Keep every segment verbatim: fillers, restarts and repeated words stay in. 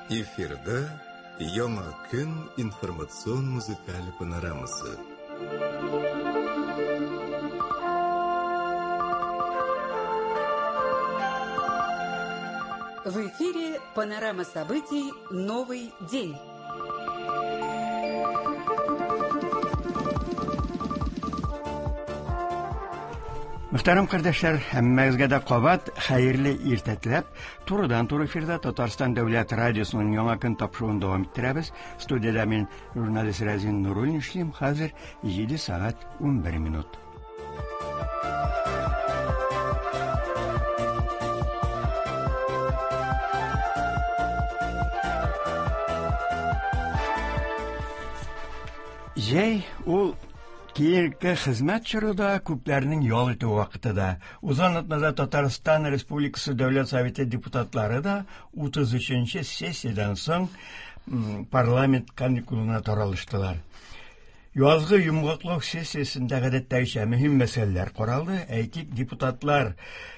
Эфирда Яңа көн информацион музыкаль панорамасы. В эфире панорама событий «Новый день». Мөхтәрәм кардәшләр, һәммәгезгә дә кабат хәерле иртә теләп, турыдан-туры эфирда Татарстан дәүләт радиосының Яңа көн тапшыруын дәвам иттерәбез. Студиядә мин журналист Рәзин Нуруллин эшлим. Хәзер җиде сәгать унбер минут. Җәй ул киеренке хезмәт чоры да, күпләрнең ял итү вакыты да. Узган атнада Татарстан Республикасы Дәүләт Советы депутатлары да утыз өченче сессиядән соң парламент каникулына таралыштылар. Язгы йомгаклау сессиясендә гадәттәгечә мөһим мәсьәләләр каралды. Әйтик, депутатлар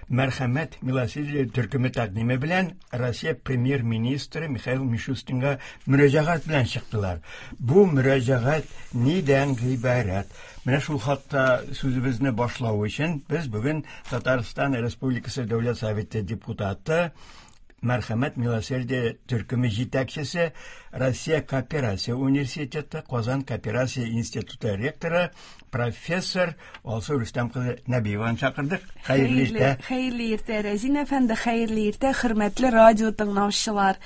Мәрхәмәт Милосердие төркеме тәкъдиме белән Россия премьер-министры Михаил Мишустинга мөрәҗәгать белән чыктылар. Бу мөрәҗәгать нидән гыйбарәт? Менә шул хакта сүзебезне башлау өчен без бүген Татарстан Республикасы Дәүләт Советы депутаты Мәрхәмәт Милосердие төркеме җитәкчесе, Россия Кооперация университеты, Казан Кооперация институты ректоры, профессор Алсу Рөстәм кызы Нәбиеваны чакырдык. Хәерле иртә. Хәерле иртә, Рәзин әфәнде, хәерле иртә, хөрмәтле радио тыңлаучылар.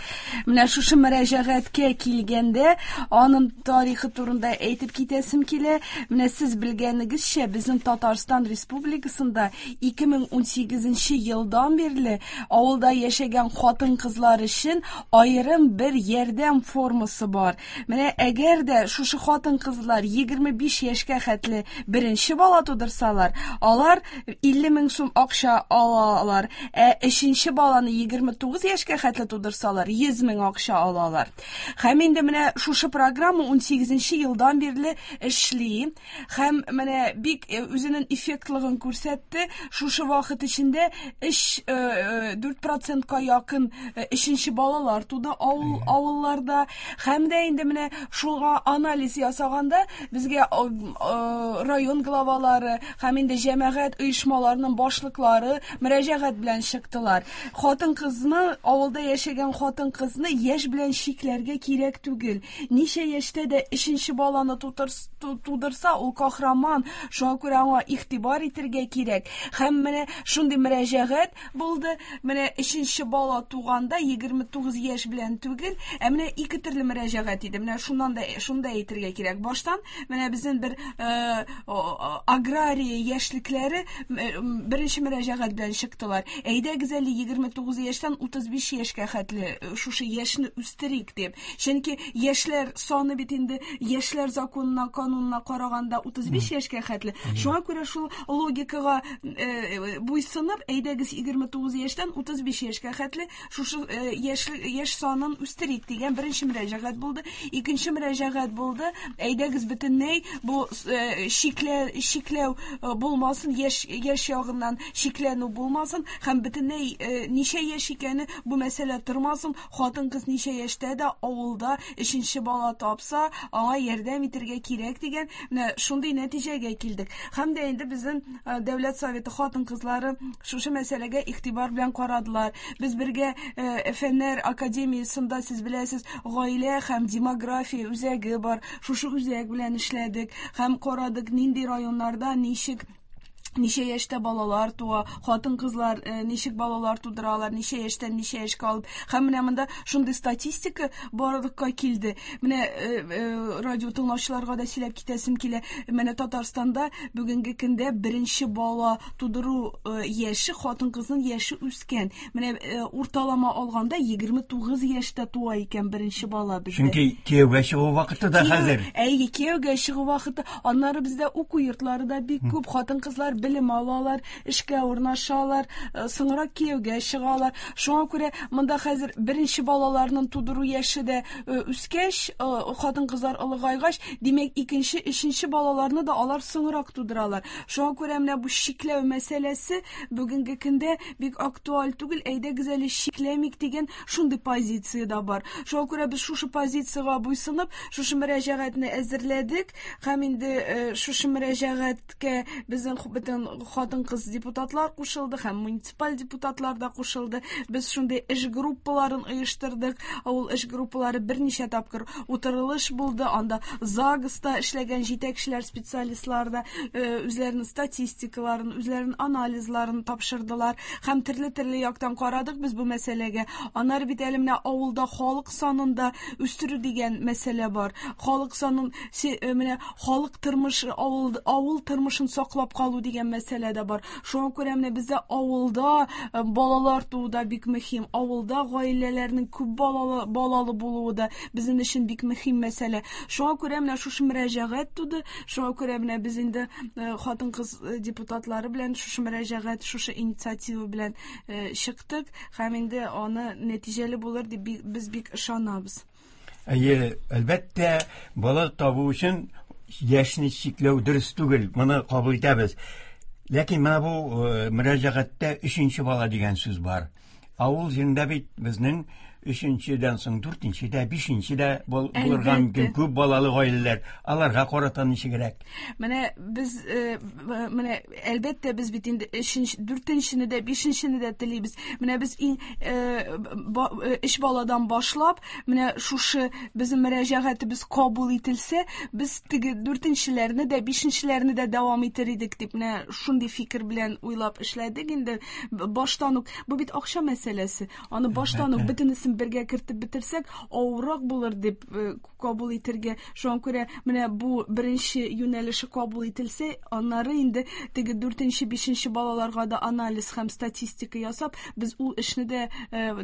Менә шушы мөрәҗәгатькә килгәндә, аның тарихы турында әйтеп китәсем килә. Менә сез белгәнегезчә, безнең Татарстан Республикасында ике мең унсигезенче елдан бирле авылда яшәгән хатын-кызлар өчен аерым бер ярдәм формасы бар. Менә әгәр дә шушы хатын-кызлар егерме биш яшькә хәтле беренче бала тудырсалар, алар илле мең сум акча алалар. Ә өченче баланы егерме тугыз яшькә хәтле тудырсалар, йөз мең акча алалар. Һәм инде менә шушы программа унсигезенче елдан бирле эшли. Һәм менә бик үзенең эффектлыгын күрсәтте. Шушы вакыт эчендә өч, дүрт процентка якын өченче балалар туды авыл, авылларда. Һәм дә инде менә шуңа анализ ясаганда безгә район главалары һәм инде җәмәгать оешмаларының башлыклары мөрәҗәгать белән чыктылар. Хатын-кызны, авылда яшәгән хатын-кызны яшь белән чикләргә кирәк түгел. Ничә яшьтә дә өченче баланы тудырса, ул кахраман, шуңа күрә аңа игътибар итәргә кирәк. Һәм менә шундый мөрәҗәгать булды. Менә өченче бала туганда егерме тугыз яшь белән түгел, ә менә ике төрле мөрәҗәгать иде. Менә шуннан да шунда әйтергә кирәк. Баштан менә безнең бер агрария яшьлекләре беренче мөрәҗәгать белән чыктылар. Әйдәгез әле егерме тугыз яшьтән утыз биш яшькә хәтле шушы яшьне үстерик дип. Чөнки яшьләр саны бит инде яшьләр законына, канунына караганда утыз биш яшькә хәтле. Шуңа күрә шул логикага буйсынып, әйдәгез егерме тугыз яшьтән утыз биш яшькә хәтле шушы яшь, яшь санын үстерик дигән беренче мөрәҗәгать булды. Икенче мөрәҗәгать булды. Әйдәгез бөтенләй бу чикләү, чикләү булмасын, яшь, яшь ягыннан чикләнү булмасын һәм бөтенләй ничә яшь икәне бу мәсьәлә тормасын. Хатын-кыз ничә яшьтә дә авылда өченче бала тапса, аңа ярдәм итәргә кирәк дигән менә шундый нәтиҗәгә килдек. Һәм дә инде безнең Дәүләт Советы хатын-кызлары шушы мәсьәләгә игътибар белән карадылар. Без бергә Фәннәр академиясендә, сез беләсез, гаилә һәм демография үзәге бар. Шушы үзәк белән эшләдек һәм карадык, нинди районнарда ничек ничә яшьтә балалар туа, хатын-кызлар ничек балалар тудыралар, ничә яшьтән ничә яшькә алып. Һәм менә монда шундый статистика барлыкка килде. Менә радио тыңлаучыларга да сөйләп китәсем килә. Менә Татарстанда бүгенге көндә беренче бала тудыру яше, хатын-кызның яше үскән. Менә урталама алганда егерме тугыз яшьтә туа икән беренче бала бездә. Чөнки кияүгә чыгу вакыты да хәзер. Әйе, кияүгә чыгу вакыты. Аннары бездә уку йортлары да бик күп, хатын-кызлар белем алалар, эшкә урнашалар, соңрак кияүгә чыгалар. Шуңа күрә монда хәзер беренче балаларның тудыру яше дә үскәч, хатын-кызлар олыгайгач, димәк, икенче, өченче балаларны да алар соңрак тудыралар. Шуңа күрә менә бу чикләү мәсьәләсе бүгенге көндә бик актуаль түгел, әйдәгез әле чикләмик дигән шундый позиция дә бар. Шуңа күрә без шушы позициягә буйсынып, шушы мөрәҗәгатьне әзерләдек һәм инде шушы мөрәҗәгатькә безнең бөтен хатын-кыз депутатлар кушылды һәм муниципаль депутатлар да кушылды. Без шундый эш группаларын оештырдык. Ул эш группалары берничә тапкыр утырылыш булды. Анда ЗАГСта эшләгән җитәкчеләр, специалистлар да үзләренең статистикаларын, үзләренең анализларын тапшырдылар һәм төрле-төрле яктан карадык без бу мәсьәләгә. Аннары бит әле менә авылда халык санын да үстерү дигән мәсьәлә бар. Халык санын, менә халык тормышы, авыл, авыл тормышын саклап калу дигән мәсьәлә дә бар. Шуңа күрә менә бездә авылда балалар туу да бик мөһим. Авылда гаиләләрнең күп балалы, балалы булуы да безнең өчен бик мөһим мәсьәлә. Шуңа күрә менә шушы мөрәҗәгать туды. Шуңа күрә менә без инде хатын-кыз депутатлары белән шушы мөрәҗәгать, шушы инициатива белән чыктык һәм инде аны нәтиҗәле булыр дип без бик ышанабыз. Әйе, әлбәттә, бала табу өчен яшьне чикләү дөрес түгел, моны кабул итәбез. Ләкин менә бу мөрәҗәгатьтә өченче бала дигән сүз бар. Авыл җирендә бит безнең өченчедән соң дүртенче дә, бишенче дә булырга мөмкин күп балалы гаиләләр. Аларга карата ничегрәк? Менә без менә әлбәттә без бит инде өченче, дүртенчене дә, бишенчене дә телибез. Менә без иң өч баладан башлап, менә шушы безнең мөрәҗәгатебез кабул ителсә, без теге дүртенчеләрне дә, бишенчеләрне дә дәвам итер идек дип менә шундый фикер белән уйлап эшләдек инде баштан ук. Бу бит акча мәсьәләсе. Аны баштан ук бөтенесен бергә кертеп бетерсәк, авыррак булыр дип кабул итергә. Шуңа күрә менә бу беренче юнәлеше кабул ителсә, аннары инде теге дүртенче, бишенче балаларга да анализ һәм статистика ясап, без ул эшне дә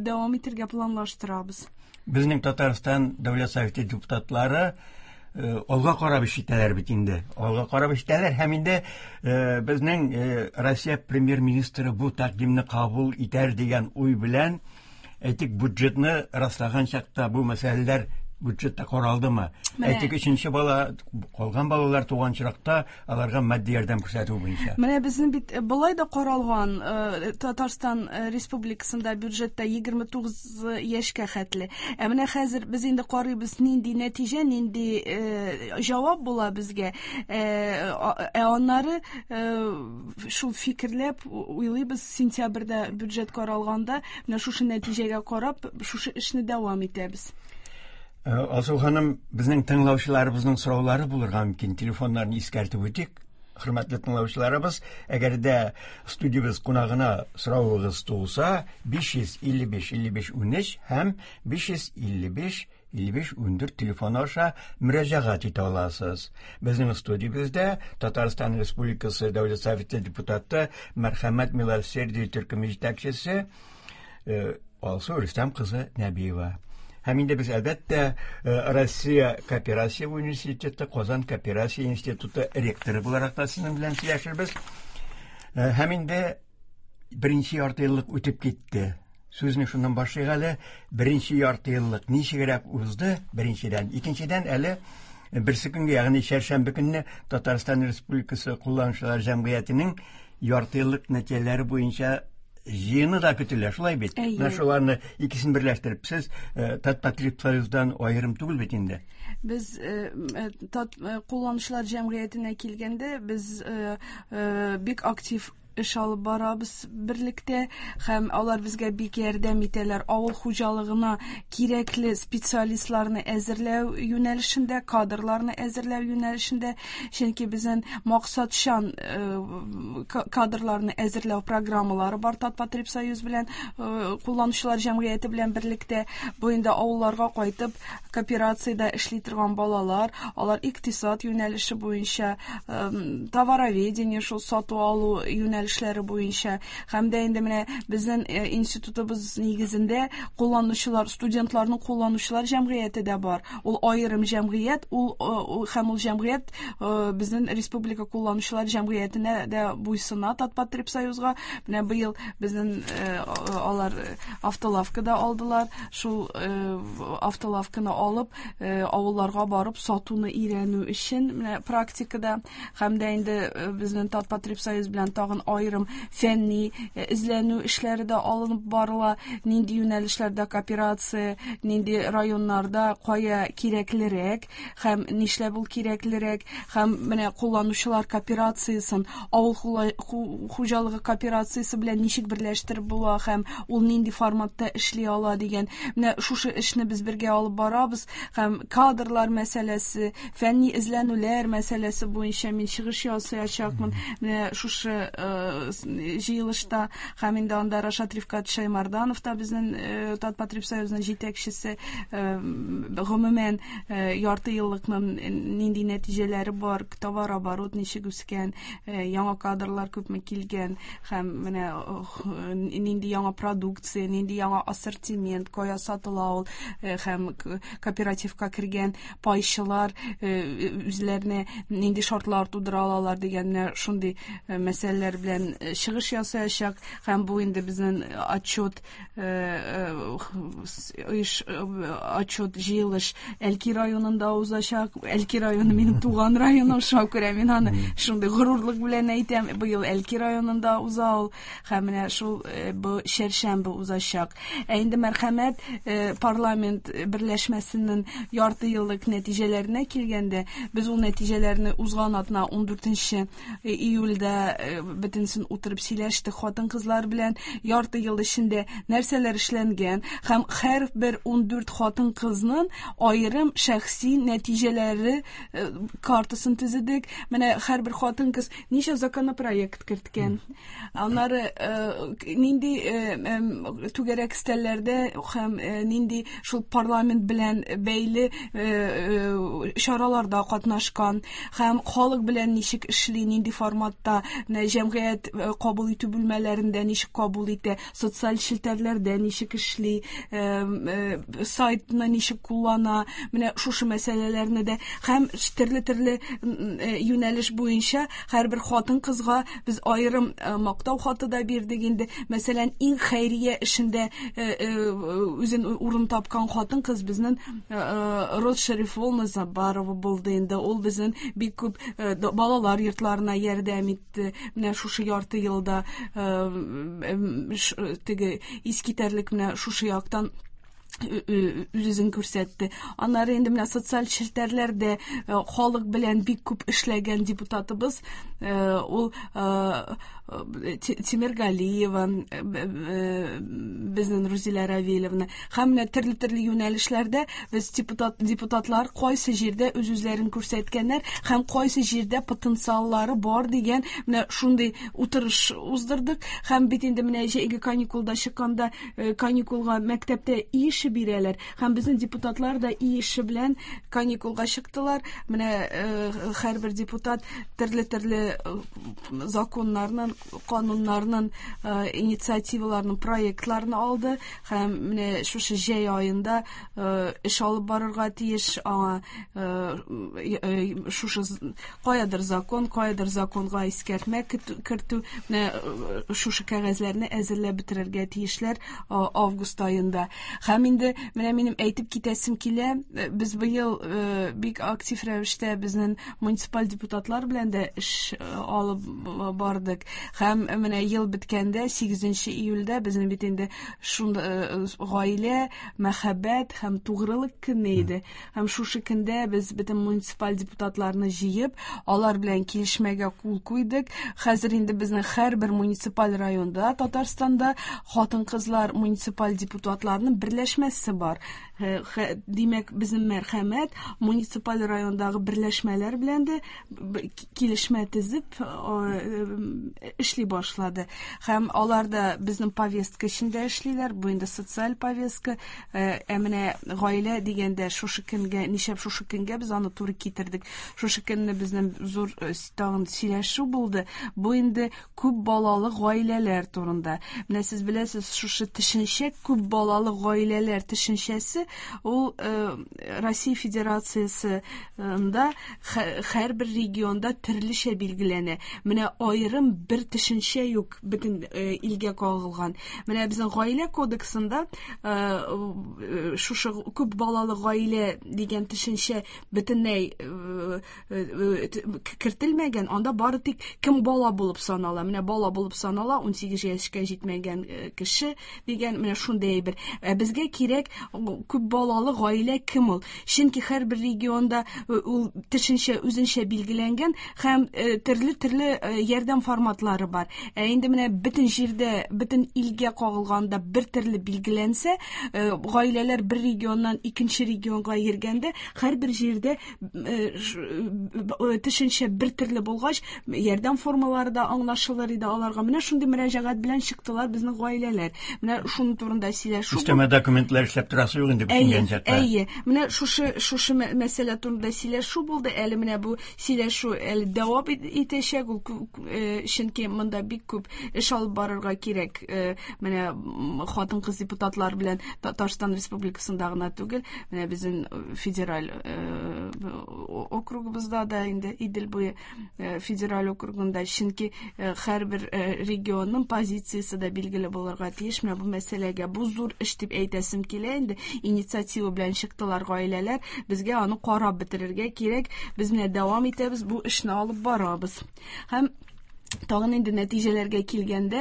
дәвам итергә планлаштырабыз. Безнең Татарстан Дәүләт Советы депутатлары алга карап эш итәләр бит инде. Алга карап эш итәләр һәм инде безнең Россия премьер-министры бу тәкъдимне кабул итәр дигән уй белән әйтик, бюджетны раслаган чакта бу мәсьәләләр бюджетта каралдымы? Әйтик, өченче бала, калган балалар туган чакта аларга матди ярдәм күрсәтү буенча. Менә безнең бит болай да каралган Татарстан Республикасында бюджетта егерме тугыз яшькә хәтле. Ә менә хәзер без инде карыйбыз, нинди нәтиҗә, нинди җавап була безгә. Ә аннары шул фикерләп уйлыйбыз, сентябрьдә бюджет каралганда менә шушы нәтиҗәгә карап, шушы эшне дәвам итәбез. Алсу ханым, безнең тыңлаучыларыбызның сораулары булырга мөмкин. Телефоннарны искәртеп үтик. Хөрмәтле тыңлаучыларыбыз, әгәр дә студиябез кунагына соравыгыз туса, биш йөз илле биш илле биш унөч һәм биш йөз илле биш илле биш ундүрт телефоны аша мөрәҗәгать итә аласыз. Безнең студиябездә Татарстан Республикасы Дәүләт Советы депутаты Мәрхәмәт Милосердие төркеме җитәкчесе Алсу Рөстәм кызы Нәбиева. Һәм инде без әлбәттә Россия Кооперация университеты, Казан Кооперация институты ректоры буларак та сезнең белән сөйләшербез. Һәм инде беренче ярты еллык үтеп китте. Сүзне шуннан башлыйк әле. Беренче ярты еллык ничегрәк узды? Беренчедән. Икенчедән әле берсе көнгә, ягъни чәршәмбе көнне Татарстан Республикасы кулланучылар җәмгыятенең ярты еллык нәтиҗәләре буенча җыены да көтелә, шулай бит? Менә шуларны икесен берләштереп, сез Татпотребсоюздан аерым түгел бит инде. Без Тат кулланучылар җәмгыятенә килгәндә, без бик актив эш алып барабыз берлектә һәм алар безгә бик ярдәм итәләр. Авыл хуҗалыгына кирәкле специалистларны әзерләү юнәлешендә, кадрларны әзерләү юнәлешендә, чөнки безнең максатчан кадрларны әзерләү программалары бар Татпотребсоюз белән, кулланучылар җәмгыяте белән берлектә. Бу инде авылларга кайтып кооперациядә эшли торган балалар, алар икътисад юнәлеше буенча, товароведение, шул сату алу юнәлешендә юнәлешләре буенча. Һәм дә инде менә безнең институтыбыз нигезендә кулланучылар, студентларның кулланучылар җәмгыяте дә бар. Ул аерым җәмгыять, ул һәм ул җәмгыять безнең республика кулланучылар җәмгыятенә дә буйсына, Татпотребсоюзга. Менә быел безнең алар автолавкада алдылар. Шул автолавканы алып, авылларга барып сатуны өйрәнү өчен менә практикада. Һәм дә инде безнең Татпотребсоюз белән тагын аерым фәнни эзләнү эшләре дә алынып барыла. Нинди юнәлешләрдә кооперация, нинди районнарда кая кирәклерәк һәм нишләп ул кирәклерәк, һәм менә кулланучылар кооперациясен авыл хуҗалыгы кооперациясе белән ничек берләштереп була һәм ул нинди форматта эшли ала дигән. Менә шушы эшне без бергә алып барабыз. Һәм кадрлар мәсьәләсе, фәнни эзләнүләр мәсьәләсе буенча мин чыгыш ясаячакмын. Менә шушы җыелышта һәм инде анда Рашат Рифкат Шаймарданов та безнең Татпотребсоюзның җитәкчесе, гомумән ярты еллыкның нинди нәтиҗәләре бар, товарооборот ничек үскән, яңа кадрлар күпме килгән һәм менә нинди яңа продукция, нинди яңа ассортимент, кая сатыла ул, һәм кооперативка кергән пайчылар үзләренә нинди шартлар тудыра алалар дигән менә шундый мәсьәләләр белән чыгыш ясаячак. Һәм бу инде безнең отчет отчет җыелыш Әлки районында узачак. Әлки районы минем туган районым, шуңа күрә мин аны шундый горурлык белән әйтәм. Быел Әлки районында уза ул һәм менә шул бу чәршәмбе узачак. Ә инде мәрхәмәт парламент берләшмәсенең ярты еллык нәтиҗәләренә килгәндә, без ул нәтиҗәләрне узган атна ун дүртенче июльдә бөтенсен утырып сөйләштек хатын-кызлар белән. Ярты ел эчендә нәрсәләр эшләнгән һәм һәрбер ун дүрт хатын-кызның аерым шәхси нәтиҗәләре картасын төзедек. Менә һәрбер хатын-кыз ничә законопроект керткән, аннары нинди түгәрәк өстәлләрдә һәм нинди шул парламент белән бәйле чараларда катнашкан һәм халык белән ничек эшли, нинди форматта, җәмгыять кабул итү бүлмәләрендә ничек кабул итә, социаль челтәрләрдә ничек эшли, сайтны ничек куллана, менә шушы мәсьәләләрне дә һәм төрле-төрле юнәлеш буенча һәрбер хатын-кызга без аерым мактау хаты да бирдек инде. Мәсәлән, иң хәйрия эшендә үзен урын тапкан хатын-кыз безнең Роз Шәрифулловна Забарова булды инде. Ул безнең бик күп балалар йортларына ярдәм итте. Менә шушы ярты елда теге искитәрлек менә шушы яктан үзен күрсәтте. Аннары инде менә социаль челтәрләрдә халык белән бик күп эшләгән депутатыбыз ул Тимергалиева, безнең Рузилә Равилевна. Һәм менә төрле-төрле юнәлешләрдә без депутат, депутатлар кайсы җирдә үз-үзләрен күрсәткәннәр һәм кайсы җирдә потенциаллары бар дигән менә шундый утырыш уздырдык. Һәм бит инде менә җәйге каникулда чыкканда каникулга мәктәптә эше бирәләр. Һәм безнең депутатлар да эше белән каникулга чыктылар. Менә һәрбер депутат төрле-төрле законнарның, кануннарның, инициативаларның проектларын алды һәм менә шушы җәй аенда эш алып барырга тиеш. Аңа шушы каядыр закон, каядыр законга искәртмә кертү, менә шушы кәгазьләрне әзерләп бетерергә тиешләр август аенда. Һәм инде менә минем әйтеп китәсем килә, без быел бик актив рәвештә безнең муниципаль депутатлар белән дә эш алып бардык. Һәм менә ел беткәндә сигезенче июльдә безнең бит инде шунда гаилә, мәхәббәт һәм тугрылык көне иде. Һәм шушы көндә без бөтен муниципаль депутатларны җыеп, алар белән килешмәгә кул куйдык. Хәзер инде безнең һәрбер муниципаль районда Татарстанда хатын-кызлар муниципаль депутатларының берләшмәсе бар. Димәк, безнең мәрхәмәт муниципаль райондагы берләшмәләр белән дә килешмә төзеп эшли башлады. Һәм алар да безнең повестка эчендә эшли. эшлиләр. Бу инде социаль повестка. Ә менә гаилә дигәндә шушы көнгә, нишләп шушы көнгә без аны туры китердек? Шушы көнне безнең зур тагын сөйләшү булды. Бу инде күп балалы гаиләләр турында. Менә сез беләсез, шушы төшенчә күп балалы гаиләләр төшенчәсе ул Россия Федерациясендә һәрбер регионда төрлечә билгеләнә. Менә аерым бер төшенчә юк бөтен илгә кагылган. Менә безнең гаилә кодексында шушы күп балалы гаилә дигән төшенчә бөтенләй кертелмәгән. Анда бары тик кем бала булып санала. Менә бала булып санала ун сигез яшькә җитмәгән кеше дигән менә шундый әйбер. Ә безгә кирәк күп балалы гаилә кем ул? Чөнки һәрбер регионда ул төшенчә үзенчә билгеләнгән һәм төрле-төрле ярдәм форматлары бар. Ә инде менә бөтен җирдә, бөтен илгә кагылганда бер төрле билгеләнсә, гаиләләр бер регионнан икенче регионга йөргәндә, һәрбер җирдә төшенчә бер төрле булгач, ярдәм формалары да аңлашылыр иде аларга. Менә шундый мөрәҗәгать белән чыктылар безнең гаиләләр. Менә шуның турында сөйләшү. Өстәмә документлар эшләп торасы юк инде бөтен җәтта. Әйе, менә шушы шушы мәсьәлә турында сөйләшү булды. Әле менә бу сөйләшү әле дәвам итәчәк ул, чөнки монда бик күп эш алып барырга кирәк. Менә хатын-кыз депутатлар белән Татарстан Республикасында гына түгел, менә безнең федераль округыбызда да инде Идел буе федераль округында, чөнки һәрбер регионның позициясе дә билгеле булырга тиеш. Менә бу мәсьәләгә бу зур эш дип әйтәсем килә инде. Инициатива белән чыктылар гаиләләр. Безгә аны карап бетерергә кирәк. Без менә дәвам итәбез, бу эшне алып барабыз. Һәм тагын инде нәтиҗәләргә килгәндә,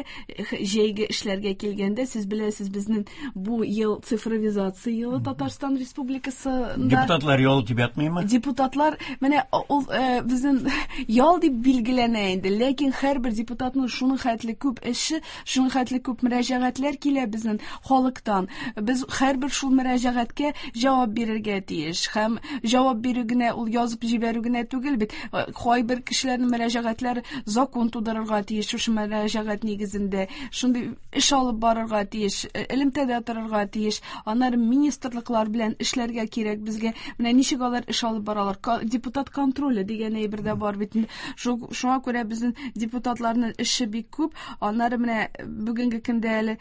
җәйге эшләргә килгәндә, сез беләсез, безнең бу ел цифровизация елы Татарстан Республикасында. Депутатлар ял дип ятмыймы? Депутатлар менә ул безнең ял дип билгеләнә инде, ләкин һәрбер депутатның шуның хәтле күп эше, шуның хәтле күп мөрәҗәгатьләр килә безнең халыктан. Без һәрбер шул мөрәҗәгатькә җавап бирергә тиеш. Һәм җавап бирү генә ул язып җибәрү генә түгел бит. Кайбер кешеләрнең мөрәҗәгатьләре закон тудырырга тиеш, шушы мөрәҗәгать нигезендә шундый эш алып барырга тиеш, элемтәдә торырга тиеш. Аннары министрлыклар белән эшләргә кирәк безгә. Менә ничек алар эш алып баралар? Депутат контроле дигән әйбер дә бар бит. Шуңа күрә безнең депутатларның эше бик күп. Аннары менә бүгенге көндә әле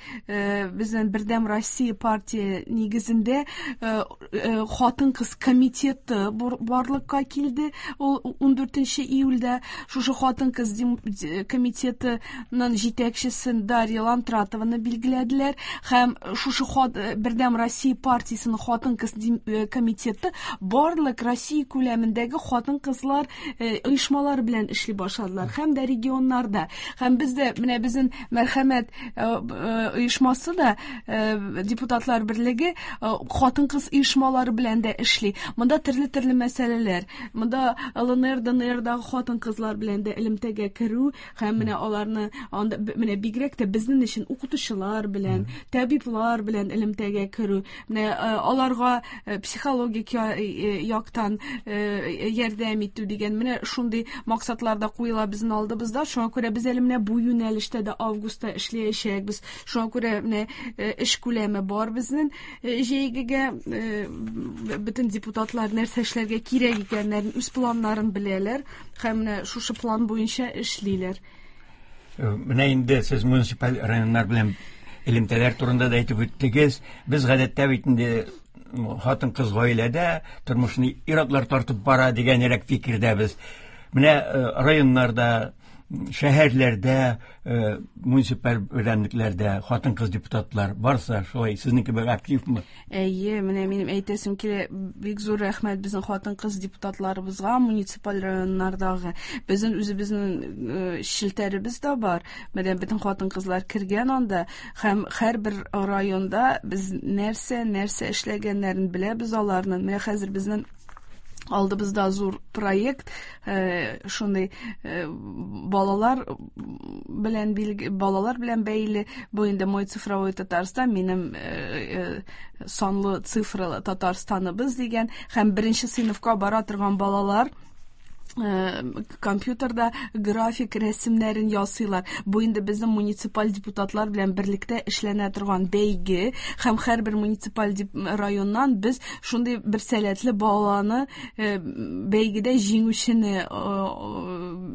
безнең Бердәм Россия партия нигезендә хатын-кыз комитеты барлыкка килде. Ул ун дүртенче июльдә шушы хатын-кыз комитетының җитәкчесен Дарья Лантратованы билгеләделәр һәм шушы Бердәм Россия партиясенең хатын-кыз комитеты барлык Россия күләмендәге хатын-кызлар оешмалары белән эшли башладылар һәм дә регионнарда. Һәм бездә менә безнең Мәрхәмәт оешмасы да, депутатлар берлеге хатын-кыз оешмалары белән дә эшли. Монда төрле-төрле мәсьәләләр. Монда Л Н Р, Д Н Рдагы хатын-кызлар белән дә элемтәгә керү һәм менә аларны анда менә бигрәк тә безнең өчен укытучылар белән, табиблар белән элемтәгә керү, менә аларга психологик яктан ярдәм итү дигән менә шундый максатлар да куела безнең алдыбызда. Шуңа күрә без әле менә бу юнәлештә дә августта эшләячәкбез. Шуңа күрә менә эш күләме бар безнең җәйгегә. Бөтен депутатлар нәрсә эшләргә кирәк икәннәрен, үз планнарын беләләр һәм менә шушы план буенча эшлиләр. Менә инде сез муниципаль районнар белән элемтәләр турында да әйтеп үттегез. Без гадәттә бит инде хатын-кыз гаиләдә тормышны ир-атлар тартып бара дигәнрәк фикердәбез. Менә районнарда, шәһәрләрдә, муниципаль берәмлекләрдә хатын-кыз депутатлар барса, шулай сезнең кебек активмы? Әйе, менә минем әйтәсем килә, бик зур рәхмәт безнең хатын-кыз депутатларыбызга муниципаль районнардагы. Безнең үзебезнең челтәребез дә бар. Менә бөтен хатын-кызлар кергән анда һәм һәрбер районда без нәрсә, нәрсә эшләгәннәрен беләбез аларның. Менә хәзер безнең алдыбызда зур проект, шундый балалар белән балалар белән бәйле. Бу инде Мой цифровой Татарстан, минем санлы цифралы Татарстаныбыз дигән һәм беренче сыйныфка бара торган балалар компьютерда график рәсемнәрен ясыйлар. Бу инде безнең муниципаль депутатлар белән берлектә эшләнә торган бәйге, һәм һәрбер муниципаль районнан без шундый бер сәләтле баланы бәйгедә җиңүчене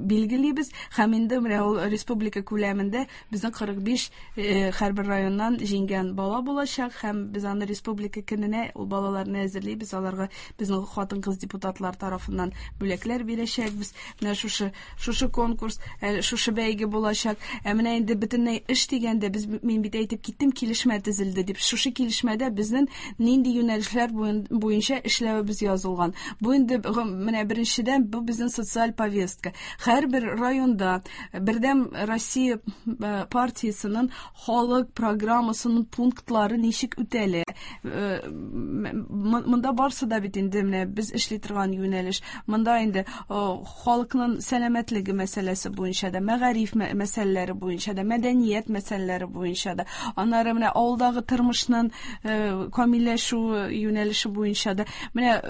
билгелибез, һәм инде менә ул республика күләмендә безнең кырык биш һәрбер районнан җиңгән бала булачак, һәм без аны республика көненә ул балаларны әзерлибез, аларга безнең хатын-кыз депутатлар тарафыннан бүләкләр бирәчәк. Без менә шушы шушы конкурс, шушы бәйге булачак. Ә менә инде бөтенләй эш дигәндә без, мин бит әйтеп киттем, килешмә төзелде дип. Шушы килешмәдә безнең нинди юнәлешләр буенча эшләвебез язылган. Бу инде менә беренчедән бу безнең социаль повестка. Һәрбер районда Бердәм Россия партиясенең халык программасының пунктлары ничек үтәлә. Монда барсы да бит инде менә без эшли торган юнәлеш. Монда инде халыкның сәламәтлеге мәсьәләсе буенча да, мәгариф мәсьәләләре буенча да, мәдәният мәсьәләләре буенча да, аннары менә авылдагы тормышның камилләшү юнәлеше буенча да, менә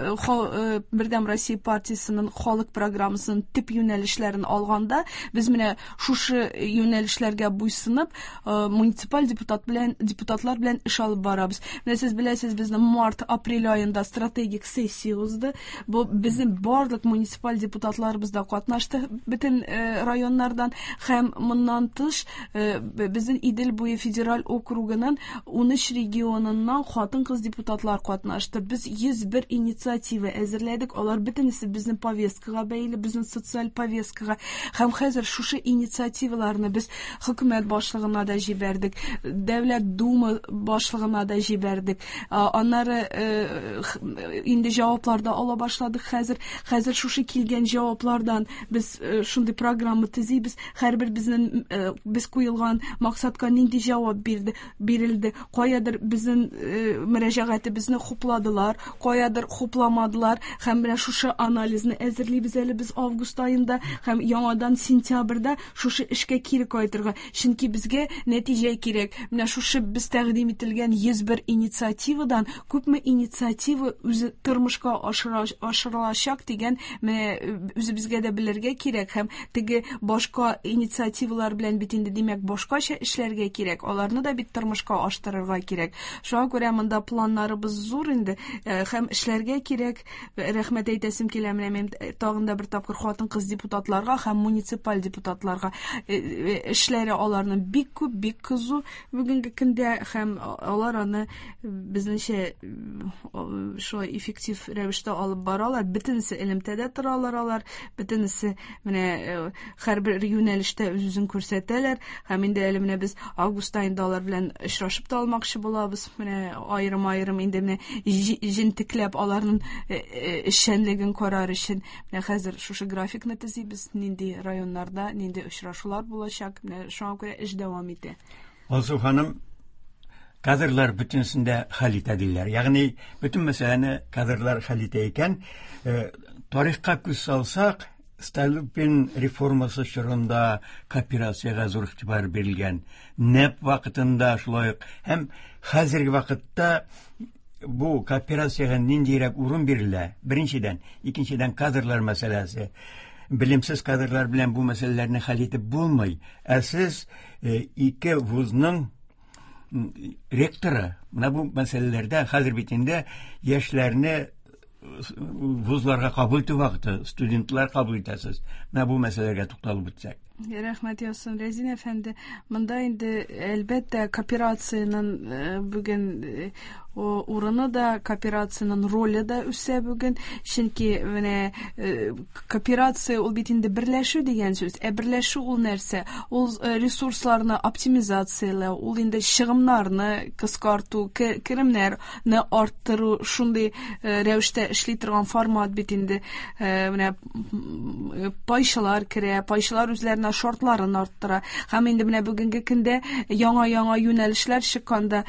Бердәм Россия партиясенең халык программасының төп юнәлешләрен алганда, без менә шушы юнәлешләргә буйсынып, муниципаль депутат белән депутатлар белән эш алып барабыз. Менә сез беләсез, безнең март-апрель аенда стратегик сессия узды. Бу безнең барлык муниципаль депутатларыбыз да катнашты бөтен районнардан, һәм моннан тыш безнең Идел буе федераль округының ун өч регионыннан хатын-кыз депутатлар катнашты. Без йөз бер инициатива әзерләдек. Алар бөтенесе безнең повесткага бәйле, безнең социаль повесткага. Һәм хәзер шушы инициативаларны без хөкүмәт башлыгына да җибәрдек, Дәүләт Дума башлыгына да җибәрдек. Аннары инде җаваплар да ала башладык хәзер. Хәзер шушы килгән җаваплардан без шундый программа төзибез. Һәрбер безнең без куелган максатка нинди җавап бирде, бирелде. Каядыр безнең мөрәҗәгатебезне хупладылар, каядыр хупламадылар. Һәм менә шушы анализны әзерлибез әле без август аенда һәм яңадан сентябрьдә шушы эшкә кире кайтырга. Чөнки безгә нәтиҗә кирәк. Менә шушы без тәкъдим ителгән йөз бер инициативадан күпме инициатива үзе тормышка ашырылачак дигән менә үзебезгә дә белергә кирәк, һәм теге башка инициативалар белән бит инде димәк башкача эшләргә кирәк, аларны да бит тормышка аштырырга кирәк. Шуңа күрә монда планнарыбыз зур инде, һәм эшләргә кирәк. Рәхмәт әйтәсем килә менә мин тагын да бер тапкыр хатын-кыз депутатларга һәм муниципаль депутатларга. Эшләре аларның бик күп, бик кызу бүгенге көндә, һәм алар аны безнеңчә шулай эффектив рәвештә алып баралар. Бөтенесе элемтәдә торалар алар, бөтенесе менә һәрбер юнәлештә үз-үзен күрсәтәләр. Һәм инде әле менә без август аенда алар белән очрашып та алмакчы булабыз. Менә аерым-аерым инде менә җентекләп аларның эшчәнлеген карар өчен менә хәзер шушы графикны төзибез, нинди районнарда нинди очрашулар булачак. Менә шуңа күрә эш дәвам итә. Алсу ханым, кадрлар бөтенесендә хәл итә диләр. Ягъни бөтен мәсьәләне кадрлар хәл итә икән, тарихка күз салсак, Столыпин реформасы чорында кооперациягә зур игътибар бирелгән. НЭП вакытында шулай ук һәм хәзерге вакытта бу кооперациягә ниндирәк урын бирелә? Беренчедән, икенчедән кадрлар мәсьәләсе. Белемсез кадрлар белән бу мәсьәләләрне хәл итеп булмый. Ә сез ике вузның ректоры, менә бу мәсьәләләрдә хәзер бит инде яшьләрне вузларга кабул итү вакыты, студентлар кабул итәсез. Менә бу мәсьәләгә тукталып үтсәк. Рәхмәт яусын, Рәзин әфәнде. Монда инде әлбәттә кооперациянең бүген урыны да, кооперациянең роле дә үсә бүген. Чөнки менә кооперация ул бит инде берләшү дигән сүз. Ә берләшү ул нәрсә? Ул ресурсларны оптимизацияләү, ул инде чыгымнарны кыскарту, керемнәрне арттыру, шундый рәвештә эшли торган формат бит инде. Менә пайчылар керә, пайчылар үзләренә гына шартларын арттыра. Һәм инде менә бүгенге көндә яңа-яңа юнәлешләр чыкканда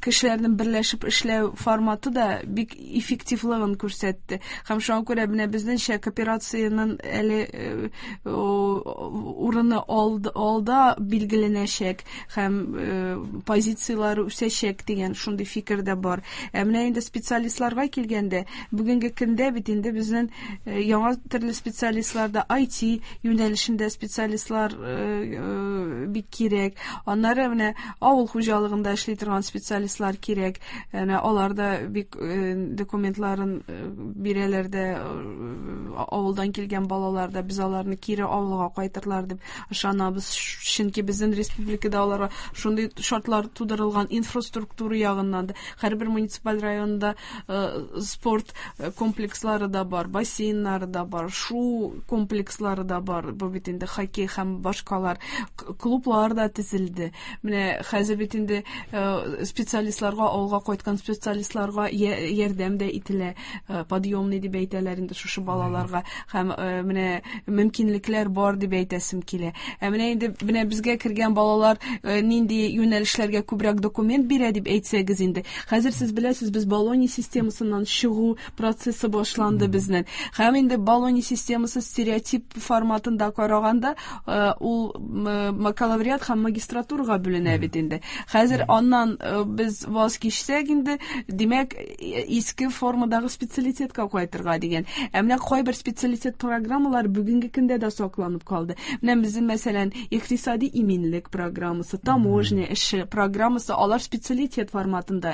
кешеләрнең берләшеп эшләү форматы да бик эффективлыгын күрсәтте. Һәм шуңа күрә менә безнеңчә кооперациянең әле урыны алда билгеләнәчәк һәм позицияләре үсәчәк дигән шундый фикер дә бар. Ә менә инде специалистларга килгәндә, бүгенге көндә бит инде безнең яңа төрле специалистлар да ай ти юнәлешендә специалистлар бик кирәк. Аннары менә авыл хуҗалыгында эшли торган специалистлар кирәк. Әнә алар да бик документларын бирәләр дә, авылдан килгән балалар да без аларны кире авылга кайтырлар дип ышанабыз. Чөнки безнең республикада аларга шундый шартлар тудырылган инфраструктура ягыннан да. Һәрбер муниципаль районда спорт комплекслары да бар, бассейннары да бар, шуу комплекслары да бар. Бу бит инде хоккей һәм башкалар, клублар да төзелде. Менә хәзер бит инде специалистларга, авылга кайткан специалистларга ярдәм дә ителә, подъемный дип әйтәләр инде шушы балаларга. Һәм менә мөмкинлекләр бар дип әйтәсем килә. Ә менә инде менә безгә кергән балалар нинди юнәлешләргә күбрәк документ бирә дип әйтсәгез инде. Хәзер сез беләсез, без Болонья системасыннан чыгу процессы башланды безнең. Һәм инде Болонья системасы стереотип форматында караганда, ул бакалавриат һәм магистратурага бүленә бит инде. Хәзер аннан без ваз кичсәк инде, димәк, иске формадагы специалитетка кайтырга дигән. Ә менә кайбер специалитет программалары бүгенге көндә дә сакланып калды. Менә безнең, мәсәлән, икътисади иминлек программасы, таможня эше программасы, алар специалитет форматында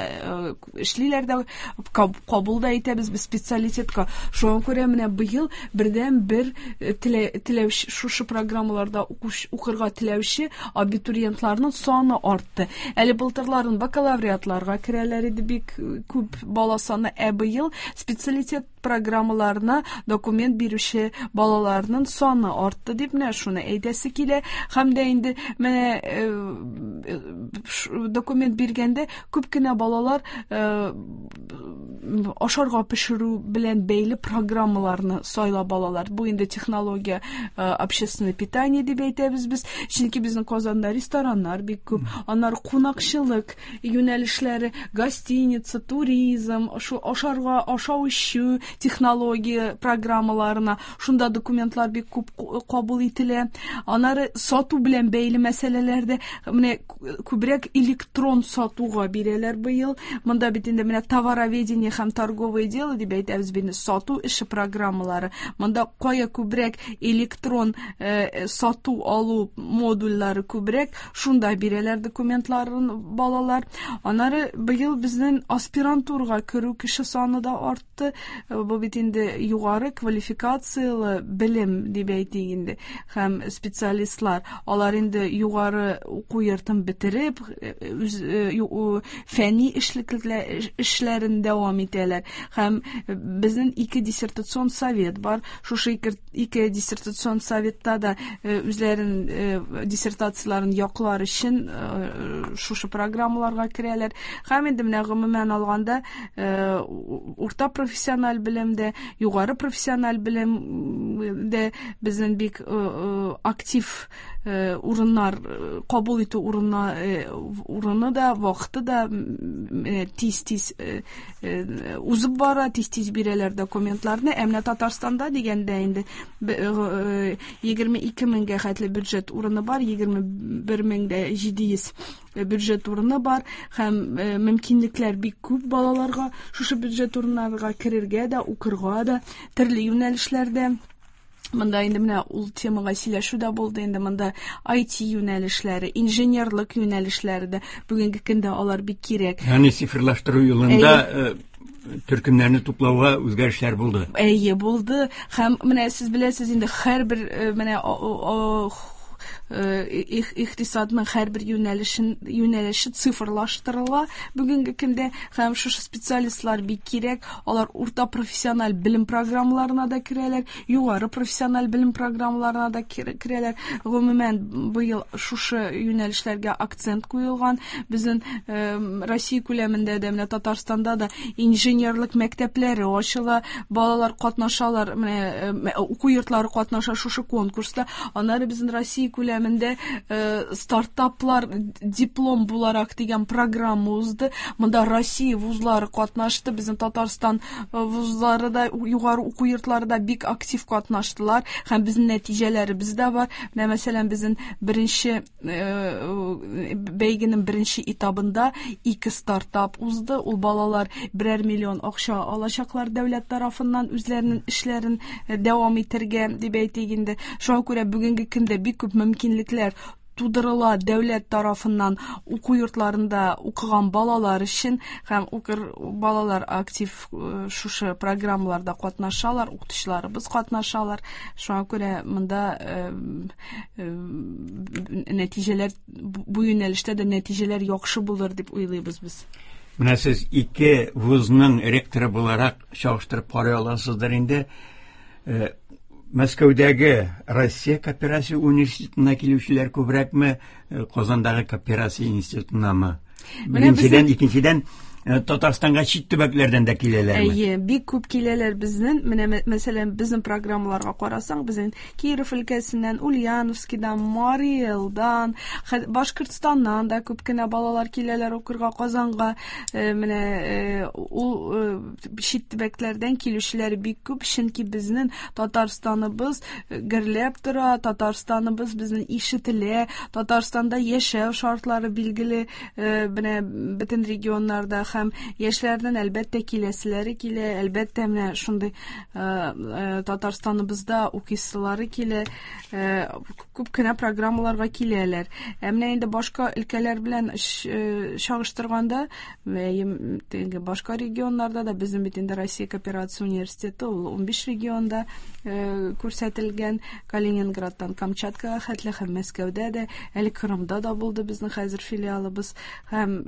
эшлиләр дә, кабул да итәбез без специалитетка. Шуңа күрә менә быел бердән бер теләүче шушы программаларда укырга теләүче абитуриентларның саны артты. Әле былтырларын бакалавриатларга керәләр иде бик күп бала саны, ә быел специалитет программаларына документ бирүче балаларның саны артты дип менә шуны әйтәсе килә. Һәм дә инде менә документ биргәндә күп кенә балалар ашарга пешерү белән бәйле программаларны сайлап алалар. Бу инде технология общественное питание дип әйтәбез без. Чөнки безнең Казанда рестораннар бик күп, аннары кунакчылык юнәлешләре, гостиница, туризм, шу ашарга, ашау эчү технология программаларына шунда документлар бик күп кабул ителә. Аннары сату белән бәйле мәсьәләләрдә менә күбрәк электрон сатуга бирәләр быел. Монда бит инде менә товароведение һәм торговое дело дип әйтәбез бит, сату эше программалары. Монда кая күбрәк электрон э, сату алу модульләре күбрәк, шунда бирәләр документларын балалар. Аннары быел безнең аспирантурага керү кеше саны да артты. Бу бит инде югары квалификациялы белем дип әйтик инде. Һәм специалистлар, алар инде югары уку йортын бетереп, үз фәнни эшләрен дәвам итәләр. Һәм безнең ике диссертацион совет бар. Шушы ике диссертацион советта да үзләрен диссертацияләрен яклар өчен шушы программаларга керәләр. Һәм инде менә гомумән алганда урта профессиональ белемдә, югары профессиональ белемдә безнең бик актив урыннар кабул итү урыны урыны да, вакыты да тиз-тиз узып бара, тиз-тиз бирәләр документларны. Ә менә Татарстанда дигәндә инде егерме ике меңгә хәтле бюджет урыны бар, егерме бер мең дә җиде йөз бюджет урыны бар һәм мөмкинлекләр бик күп балаларга шушы бюджет урыннарга керергә дә, укырга да, төрле юнәлешләрдә. Монда инде менә ул темага сөйләшү дә булды инде. Монда ай ти юнәлешләре, инженерлык юнәлешләре дә бүгенге көндә алар бик кирәк. Ягъни цифрлаштыру юлында төркемнәрне туплауга үзгәрешләр булды. Әйе, булды. Һәм менә сез беләсез инде, һәрбер менә икътисадның һәрбер юнәлешен юнәлеше цифрлаштырыла бүгенге көндә, һәм шушы специалистлар бик кирәк. Алар урта профессиональ белем программаларына да керәләр, югары профессиональ белем программаларына да керәләр. Гомумән, быел шушы юнәлешләргә акцент куелган. Безнең Россия күләмендә дә, менә Татарстанда да инженерлык мәктәпләре ачыла, балалар катнашалар, менә уку йортлары катнаша шушы конкурста. Аннары безнең Россия күләмендә стартаплар диплом буларак дигән программа узды. Монда Россия вузлары катнашты, безнең Татарстан вузлары да, югары уку йортлары да бик актив катнаштылар һәм безнең нәтиҗәләребез дә бар. Менә мәсәлән, безнең беренче бәйгенең беренче этабында ике стартап узды. Ул балалар берәр миллион акча алачаклар дәүләт тарафыннан үзләренең эшләрен дәвам итәргә дип әйтик инде. Шуңа күрә бүгенге көндә бик күп мөмкинлекләр тудырыла дәүләт тарафыннан уку йортларында укыган балалар өчен, һәм укыр балалар актив шушы программаларда катнашалар, укытучыларыбыз катнашалар. Шуңа күрә монда нәтиҗәләр, бу юнәлештә дә нәтиҗәләр яхшы булыр дип уйлыйбыз без. Менә сез ике вузның ректоры буларак чагыштырып карый аласыздыр инде. Мәскәүдәге Россия кооперация университетына килүчеләр күбрәкме, Казандагы кооперация институтынамы? Беренчедән, икенчедән, Татарстанга чит төбәкләрдән дә киләләрме? Әйе, бик күп киләләр безнең. Менә мәсәлән, безнең программаларга карасаң, безнең Киров өлкәсеннән, Ульяновскидан, Мари Элдан, Башкортстаннан да күп кенә балалар киләләр укырга Казанга. Менә ул чит төбәкләрдән килүчеләр бик күп, чөнки безнең Татарстаныбыз гөрләп тора, Татарстаныбыз безнең ишетелә, Татарстанда яшәү шартлары билгеле, менә бөтен регионнарда һәм яшьләрдән әлбәттә киләселәре килә, әлбәттә менә шундый Татарстаныбызда укыйсылары килә, күп кенә программаларга киләләр. Ә менә инде башка өлкәләр белән чагыштырганда, башка регионнарда да безнең бит инде Россия кооперация университеты ул унбиш регионда күрсәтелгән, Калининградтан Камчаткага хәтле һәм Мәскәүдә дә, әле Кырымда да булды безнең хәзер филиалыбыз, һәм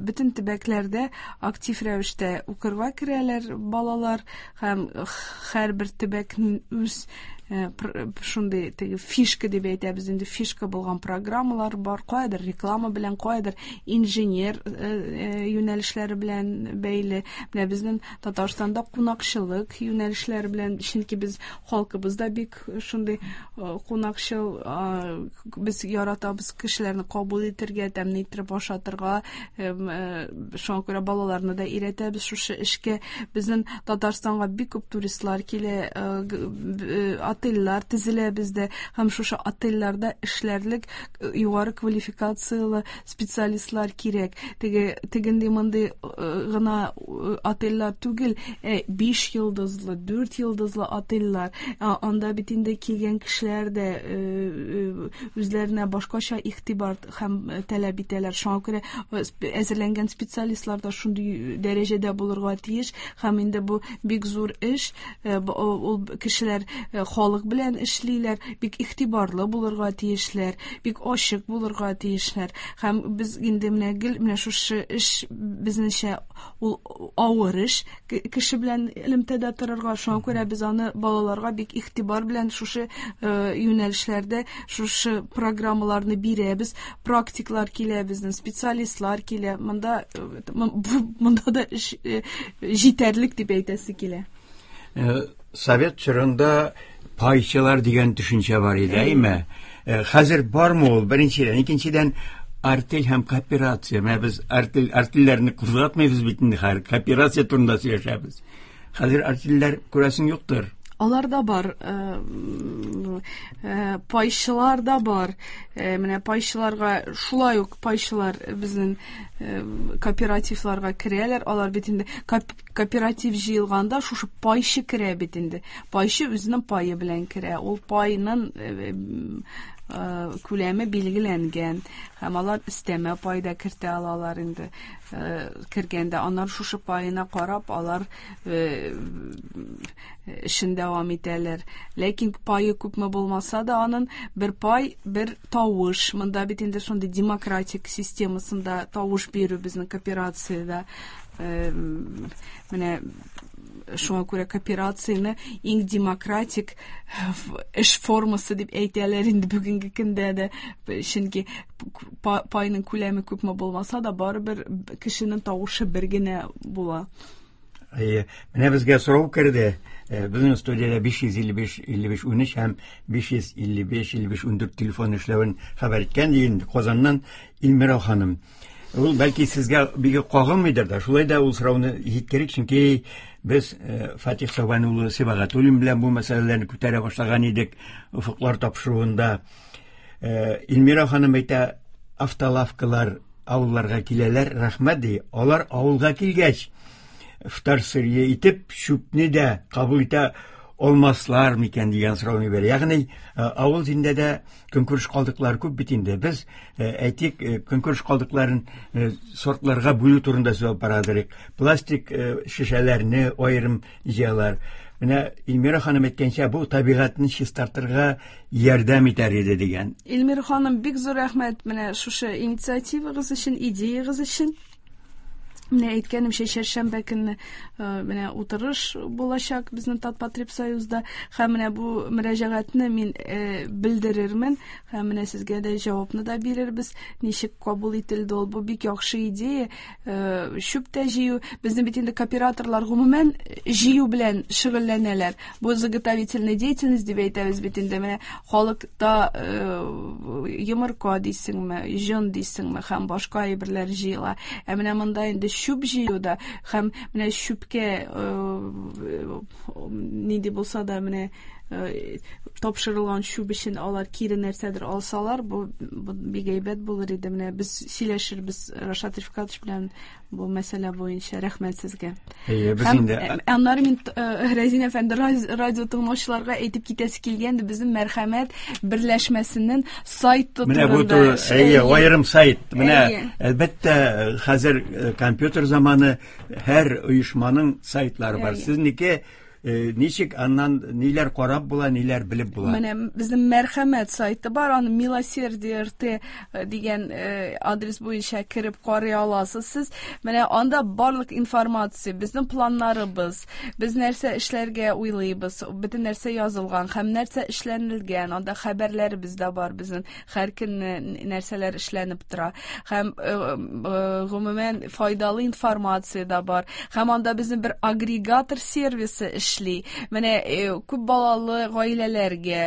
бөтен төбәкләрдә актив рәвештә укырга керәләр балалар, һәм һәрбер төбәкнең үз шундый теге фишка дип әйтәбез инде, фишка булган программалар бар, каядыр реклама белән, каядыр инженер юнәлешләре белән бәйле. Менә безнең Татарстанда кунакчылык юнәлешләре белән, чөнки без халкыбыз да бик шундый кунакчыл, без яратабыз кешеләрне кабул итәргә, тәмле итеп ашатырга, шуңа күрә балаларны да өйрәтәбез шушы эшкә. Безнең Татарстанга бик күп туристлар килә, отельләр төзелә бездә, һәм шушы отельләрдә эшләрлек югары квалификацияле специалистлар кирәк. Теге тегенди мондый гына отельләр түгел, биш йолдызлы, дүрт йолдызлы отельләр. Анда бит инде килгән кешеләр дә үзләренә башкача игътибар һәм таләп итәләр. Шуңа күрә әзерләнгән специалистлар да шундый дәрәҗәдә булырга тиеш, һәм инде бу бик зур эш. Ул кешеләр халык белән эшлиләр, бик игътибарлы булырга тиешләр, бик ачык булырга тиешләр. Һәм без инде менә гел менә шушы эш безнеңчә ул авыр эш, кеше белән элемтәдә торырга. Шуңа күрә без аны балаларга бик игътибар белән шушы юнәлешләрдә шушы программаларны бирәбез. Практиклар килә безнең, специалистлар килә. Монда монда да эш җитәрлек дип әйтәсе килә. Совет чорында пайчылар дигән төшенчә бар иде, әйме? Хәзер бармы ул? Беренчедән, икенчедән, артель һәм кооперация. Менә без артель, артельләрне кузгатмыйбыз бит инде хәзер, кооперация турында сөйләшәбез. Хәзер артельләр күрәсең юктыр. Алар да бар, пайчылар да бар. Менә пайчыларга шулай ук пайчылар безнең кооперативларга керәләр. Алар бит инде кооператив җыелганда шушы пайчы керә бит инде. Пайчы үзенең пайы белән керә. Ул пайның күләме билгеләнгән һәм алар өстәмә пай да кертә алалар инде. Кергәндә аннары шушы паена карап алар эшен дәвам итәләр. Ләкин пае күпме булмаса да, аның бер пай, бер тавыш. Монда бит инде шундый демократик системасында тавыш бирү безнең кооперациядә. Менә шуңа күрә кооперацияне иң демократик эш формасы дип әйтәләр инде бүгенге көндә дә. Чөнки пайның күләме күпме булмаса да, барыбер кешенең тавышы бер генә була. Әйе, менә безгә сорау керде. Безнең студиядә биш йөз илле биш илле биш унөч һәм биш йөз илле биш илле биш ундүрт телефон эшләвен хәбәр иткән инде Казаннан Илмира ханым. Ул бәлки сезгә бик кагылмыйдыр да, шулай да ул сорауны җиткерик, чөнки без Фатих Сабан улы Сибагатуллин белән бу мәсьәләләрне күтәрә башлаган идек Офыклар тапшыруында. Илмира ханым әйтә, автолавкалар авылларга киләләр, рәхмәт ди. Алар авылга килгәч, вторсырье итеп чүпне дә кабул итә алмаслар микән дигән сорауны бирә. Ягъни авыл җирендә дә көнкүреш калдыклары күп бит инде. Без әйтик, көнкүреш калдыкларын сортларга бүлү турында сүз алып барадык. Пластик шешәләрне аерым җыялар. Менә Илмира ханым әйткәнчә, бу табигатьне чистартырга ярдәм итәр иде дигән. Илмира ханым, бик зур рәхмәт менә шушы инициативагыз өчен, идеягыз өчен. Менә әйткәнемчә, чәршәмбе көнне менә утырыш булачак безнең Татпотребсоюзда, һәм менә бу мөрәҗәгатьне мин белдерермен, һәм менә сезгә дә җавапны да бирербез, ничек кабул ителде ул. Бу бик яхшы идея. Чүп тә җыю, безнең бит инде кооператорлар гомумән җыю белән шөгыльләнәләр. Бу заготовительная деятельность дип әйтәбез бит инде. Менә халыкта йомырка дисеңме, җон дисеңме, һәм башка әйберләр җыела. Ә менә монда инде чүп җыюда һәм менә чүпкә нинди булса да менә тапшырылган чүп өчен алар кире нәрсәдер алсалар, бу бик әйбәт булыр иде. Менә без сөйләшербез Рашат Рифкатович белән бу мәсьәлә буенча. Рәхмәт сезгә. Әйе, без инде аннары мин Рәзин әфәнде радио тыңлаучыларга әйтеп китәсе килгәнде, безнең Мәрхәмәт берләшмәсенең сайты турында. Менә бу, әйе, аерым сайт. Менә әлбәттә хәзер компьютер заманы, һәр оешманың сайтлары бар. Сезнеке ничек аннан ниләр карап була, ниләр белеп була? Менә безнең Мәрхәмәт сайты бар, аны Милосердие эр тэ дигән адрес буенча кереп карый аласыз сез. Менә анда барлык информация, безнең планнарыбыз, без нәрсә эшләргә уйлыйбыз, бөтен нәрсә язылган һәм нәрсә эшләнелгән, анда хәбәрләребез дә бар безнең, һәр көнне нәрсәләр эшләнеп тора. Һәм гомумән файдалы информация да бар. Һәм анда безнең бер агрегатор сервисы эшли. Менә күп балалы гаиләләргә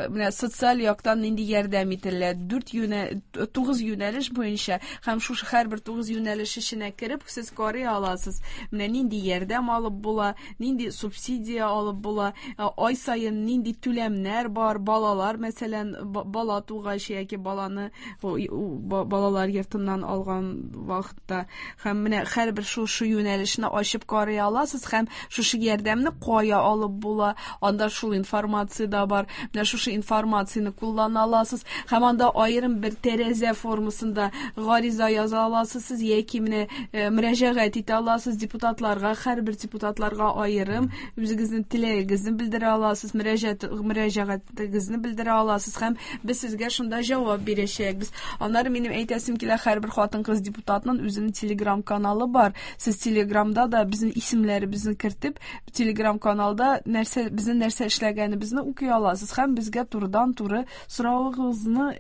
менә социаль яктан нинди ярдәм ителә, дүрт юнә, тугыз юнәлеш буенча, һәм шушы һәрбер тугыз юнәлеш эченә кереп сез карый аласыз. Менә нинди ярдәм алып була, нинди субсидия алып була, ай саен нинди түләмнәр бар, балалар, мәсәлән, бала тугач яки баланы балалар йортыннан алган вакытта. Һәм менә һәрбер шушы юнәлешне ачып карый аласыз һәм шушы ярдәмне кая алып була, анда шул информация да бар. Менә шушы информацияне куллана аласыз һәм анда аерым бер тәрәзә формасында гариза яза аласыз сез яки менә мөрәҗәгать итә аласыз депутатларга, һәрбер депутатларга аерым үзегезнең теләгегезне белдерә аласыз, мөрәҗәгать мөрәҗәгатегезне белдерә аласыз һәм без сезгә шунда җавап бирәчәкбез. Аннары минем әйтәсем килә, һәрбер хатын-кыз депутатның үзенең Telegram каналы бар. Сез Telegramда да безнең исемнәребезне кертеп, Telegram каналда нәрсә, безнең нәрсә эшләгәнебезне укый аласыз һәм безгә турыдан-туры соравыгызны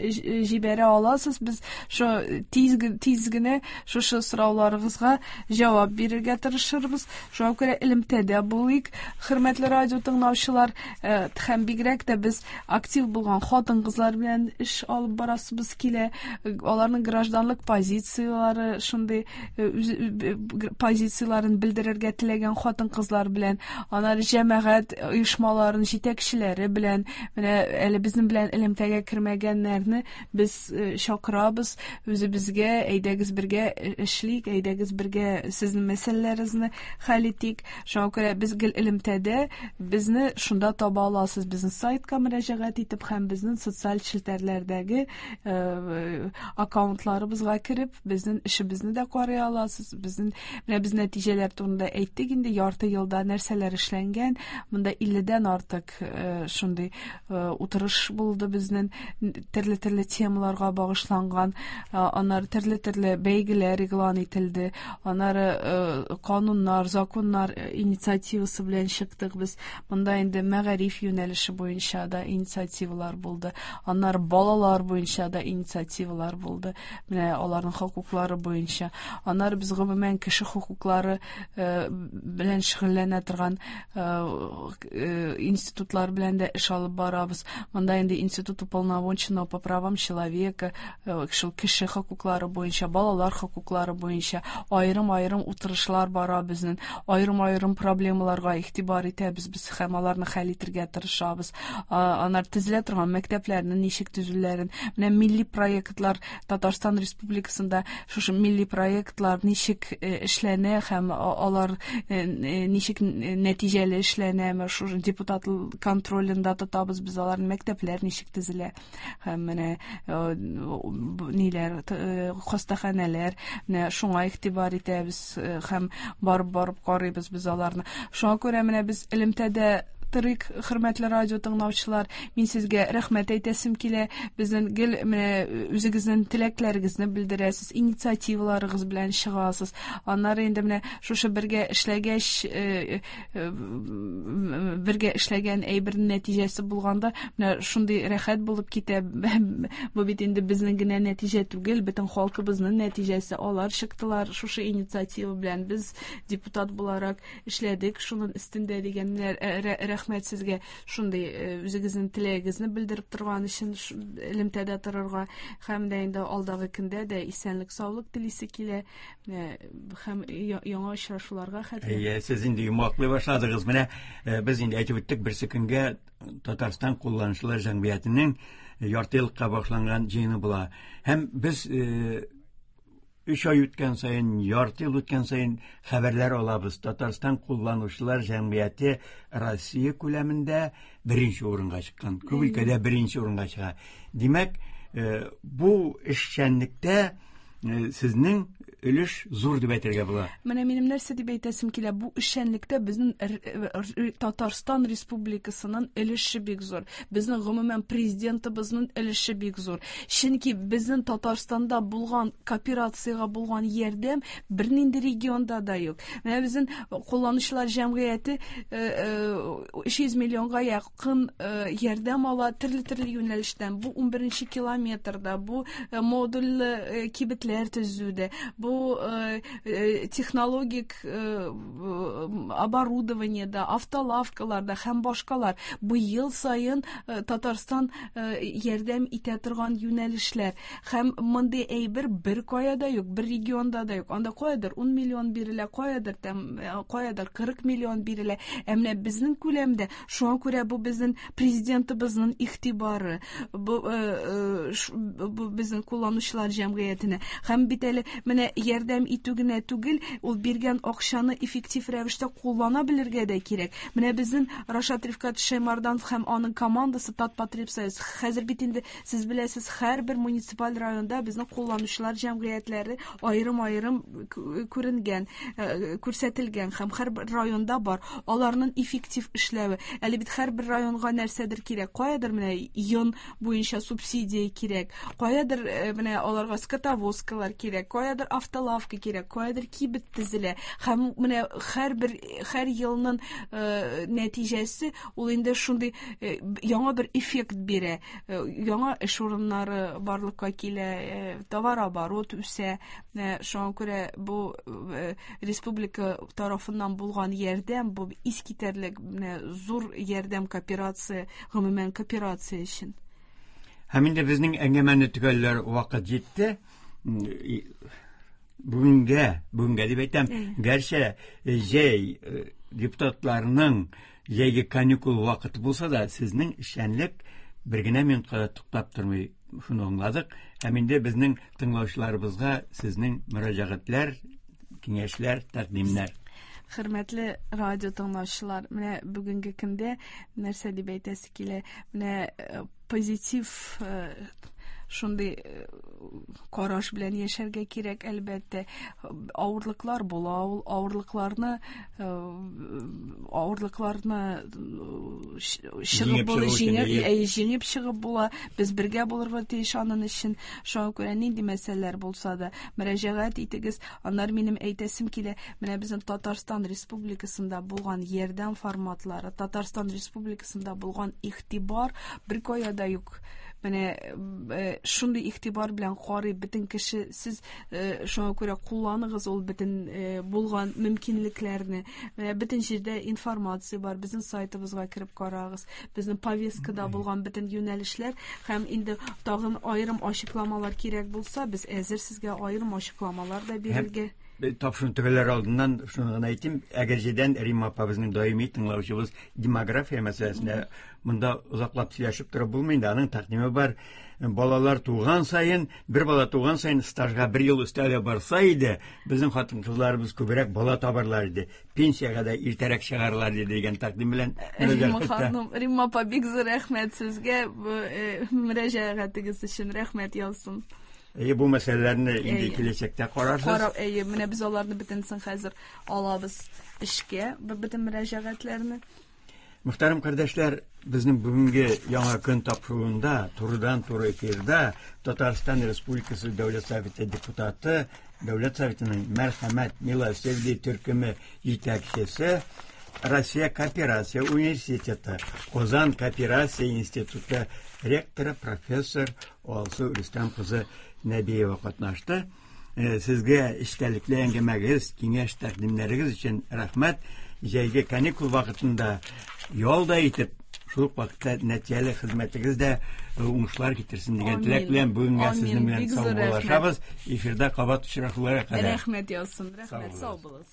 җибәрә аласыз. Без шу тиз тиз генә шушы сорауларыгызга җавап бирергә тырышырбыз. Шуңа күрә элемтәдә булыйк, хөрмәтле радио тыңлаучылар, һәм бигрәк тә без актив булган хатын-кызлар белән эш алып барасыбыз килә. Аларның гражданлык позицияләре, шундый позицияләрен белдерергә теләгән хатын-кызлар белән, Аннары җәмәгать оешмаларының җитәкчеләре белән, менә әле безнең белән элемтәгә кермәгәннәрне без чакырабыз үзебезгә, әйдәгез бергә эшлик, әйдәгез бергә сезнең мәсьәләләрегезне хәл итик. Шуңа күрә без гел элемтәдә, безне шунда таба аласыз, безнең сайтка мөрәҗәгать итеп һәм безнең социаль челтәрләрдәге аккаунтларыбызга кереп, безнең эшебезне дә карый аласыз. Безнең менә без нәтиҗәләр турында әйттек инде, ярты елда нәрсәләр эшләнгән, монда илледән артык шундый утырыш булды безнең, төрле-төрле темаларга багышланган, аннары төрле-төрле бәйгеләр игълан ителде, аннары кануннар, законнар инициативасы белән чыктык без. Монда инде мәгариф юнәлеше буенча да инициативалар булды, аннары балалар буенча да инициативалар булды, менә аларның хокуклары буенча. Аннары без гомумән кеше хокуклары белән шөгыльләнә торган институтлар белән дә эш алып барабыз. Монда инде Институт уполномоченного по правам человека, шул кеше хокуклары буенча, балалар хокуклары буенча аерым-аерым утырышлар бара безнең, аерым-аерым проблемаларга игътибар итәбез без һәм аларны хәл итәргә тырышабыз. Аннары төзелә торган мәктәпләрнең ничек төзүләрен, менә милли проектлар Татарстан Республикасында шушы милли проектлар ничек эшләнә һәм алар ничек нәтиҗәле эшләнәме, шушы депутат контролендә тотабыз без аларны, мәктәпләр ничек төзелә һәм менә ниләр, хастаханәләр, менә шуңа игътибар итәбез һәм барып-барып карыйбыз без аларны. Шуңа күрә менә без элемтәдә торыйк, хөрмәтле радио тыңлаучылар, мин сезгә рәхмәт әйтәсем килә. Безнең гел менә үзегезнең теләкләрегезне белдерәсез, инициативаларыгыз белән чыгасыз. Аннары инде менә шушы бергә эшләгәч, бергә эшләгән әйбернең нәтиҗәсе булганда, менә шундый рәхәт булып китә. Бу бит инде безнең генә нәтиҗә түгел, бөтен халкыбызның нәтиҗәсе. Алар чыктылар шушы инициатива белән, без депутат буларак эшләдек шуның өстендә дигәннәр. Рәхмәт сезгә шундый үзегезнең теләгегезне белдереп торган өчен, элемтәдә торырга һәм дә инде алдагы көндә дә исәнлек, саулык телисе килә һәм яңа очрашуларга хәтле. Әйе, сез инде йомгаклый башладыгыз. Менә без инде әйтеп үттек, берсе көнгә Татарстан кулланучылар җәмгыятенең ярты еллыкка багышланган җыены була. Һәм без өч ай үткән саен, ярты ел үткән саен хәбәрләр алабыз. Татарстан кулланучылар җәмгыяте Россия күләмендә беренче урынга чыккан. Күп өлкәдә беренче урынга чыга. Димәк, бу эшчәнлектә сезнең өлеш зур дип әйтергә була. Менә минем нәрсә дип әйтәсем килә, бу эшчәнлектә безнең Татарстан Республикасының өлеше бик зур. Безнең гомумән президентыбызның өлеше бик зур. Чөнки безнең Татарстанда булган кооперациягә булган ярдәм бернинди регионда да юк. Менә безнең кулланучылар җәмгыяте өч йөз миллионга якын ярдәм ала төрле-төрле юнәлештән. Бу унберенче километрда, бу модульле кибетләр төзүдә, бу технологик оборудованиедә, автолавкаларда һәм башкалар. Бу ел саен Татарстан ярдәм итә торган юнәлешләр. Һәм мондый әйбер бер кая да юк, бер регионда да юк. Анда каядыр ун миллион бирелә, каядыр каядыр кырык миллион бирелә. Ә менә безнең күләмдә, шуңа күрә бу безнең президентыбызның игътибары, бу безнең кулланучылар җәмгыятенә. Һәм бит әле менә ярдәм итү генә түгел, ул биргән акчаны эффектив рәвештә куллана белергә дә кирәк. Менә безнең Рашат Рифкат Шәймарданов һәм аның командасы Татпотребсоюз. Хәзер бит инде сез беләсез, һәрбер муниципаль районда безнең кулланучылар җәмгыятьләре аерым-аерым күренгән, күрсәтелгән һәм һәрбер районда бар. Аларның эффектив эшләве. Әле бит һәрбер районга нәрсәдер кирәк. Каядыр менә йон буенча субсидия кирәк, каядыр менә аларга скотовозкалар кирәк, каядыр автолавка кирәк, каядыр кибет төзелә. Һәм менә һәрбер һәр елның нәтиҗәсе ул инде шундый яңа бер эффект бирә. Яңа эш урыннары барлыкка килә, товарооборот үсә. Шуңа күрә бу республика тарафыннан булган ярдәм, бу искитәрлек менә зур ярдәм кооперация, гомумән кооперация өчен. Һәм инде безнең әңгәмәне төгәлләр вакыт җитте. Бүгенгә, бүгенгә дип әйтәм, гәрчә җәй Депутатларның җәйге каникул вакыты булса да, сезнең эшчәнлек бер генә минутка да туктап тормый. Шуны аңладык. Һәм инде безнең тыңлаучыларыбызга сезнең мөрәҗәгатьләр, киңәшләр, тәкъдимнәр. Хөрмәтле радио тыңлаучылар, менә бүгенге көндә нәрсә дип әйтәсе килә? Менә позитив шундый караш белән яшәргә кирәк, әлбәттә. Авырлыклар була, ул авырлыкларны авырлыкларны чыгып була, җиңеп, җиңеп чыгып була. Без бергә булырга тиеш аның өчен. Шуңа күрә нинди мәсьәләләр булса да мөрәҗәгать итегез. Аннары минем әйтәсем килә, менә безнең Татарстан Республикасында булган ярдәм форматлары, Татарстан Республикасында булган игътибар бер кая да юк. Менә шундый игътибар белән карый бөтен кеше, сез шуңа күрә кулланыгыз ул бөтен булган мөмкинлекләрне. Менә бөтен җирдә информация бар, безнең сайтыбызга кереп карагыз, безнең повесткада булган бөтен юнәлешләр һәм инде тагын аерым ачыкламалар кирәк булса, без әзер сезгә аерым ачыкламалар да бирергә. Тапшыру төгәлләр алдыннан шуны гына әйтим, Әгерҗедән Римма апа безнең даими тыңлаучыбыз демография мәсьәләсендә монда озаклап сөйләшеп торып булмый инде, аның тәкъдиме бар. Балалар туган саен, бер бала туган саен стажга бер ел өстәлә барса иде, безнең хатын-кызларыбыз күбрәк бала табарлар иде, пенсиягә дә иртәрәк чыгарлар иде дигән тәкъдим белән Римма ханым, Римма апа, бик зур рәхмәт сезгә мөрәҗәгатегез өчен, рәхмәт яусын. Әйе, бу мәсьәләләрне инде киләчәктә карарсыз. Карап, әйе, менә без аларны бөтенсен хәзер алабыз эшкә, бөтен мөрәҗәгатьләрне. Мөхтәрәм кардәшләр, безнең бүгенге яңа көн тапшыруында турыдан-туры эфирда Татарстан Республикасы Дәүләт Советы депутаты, Дәүләт Советының Мәрхәмәт Милосердие төркеме җитәкчесе, Россия Кооперация университеты, Казан Кооперация институты ректоры профессор Алсу Рөстәм кызы Нәбиева катнашты. Сезгә эчтәлекле әңгәмәгез, киңәш тәкъдимнәрегез өчен рәхмәт. Җәйге каникул вакытында ял да итеп, шул ук вакытта нәтиҗәле хезмәтегез дә уңышлар китерсен дигән теләк белән бүгенгә сезнең белән саубуллашабыз. Эфирда кабат очрашуларга кадәр. Рәхмәт яусын, рәхмәт, сау булыгыз.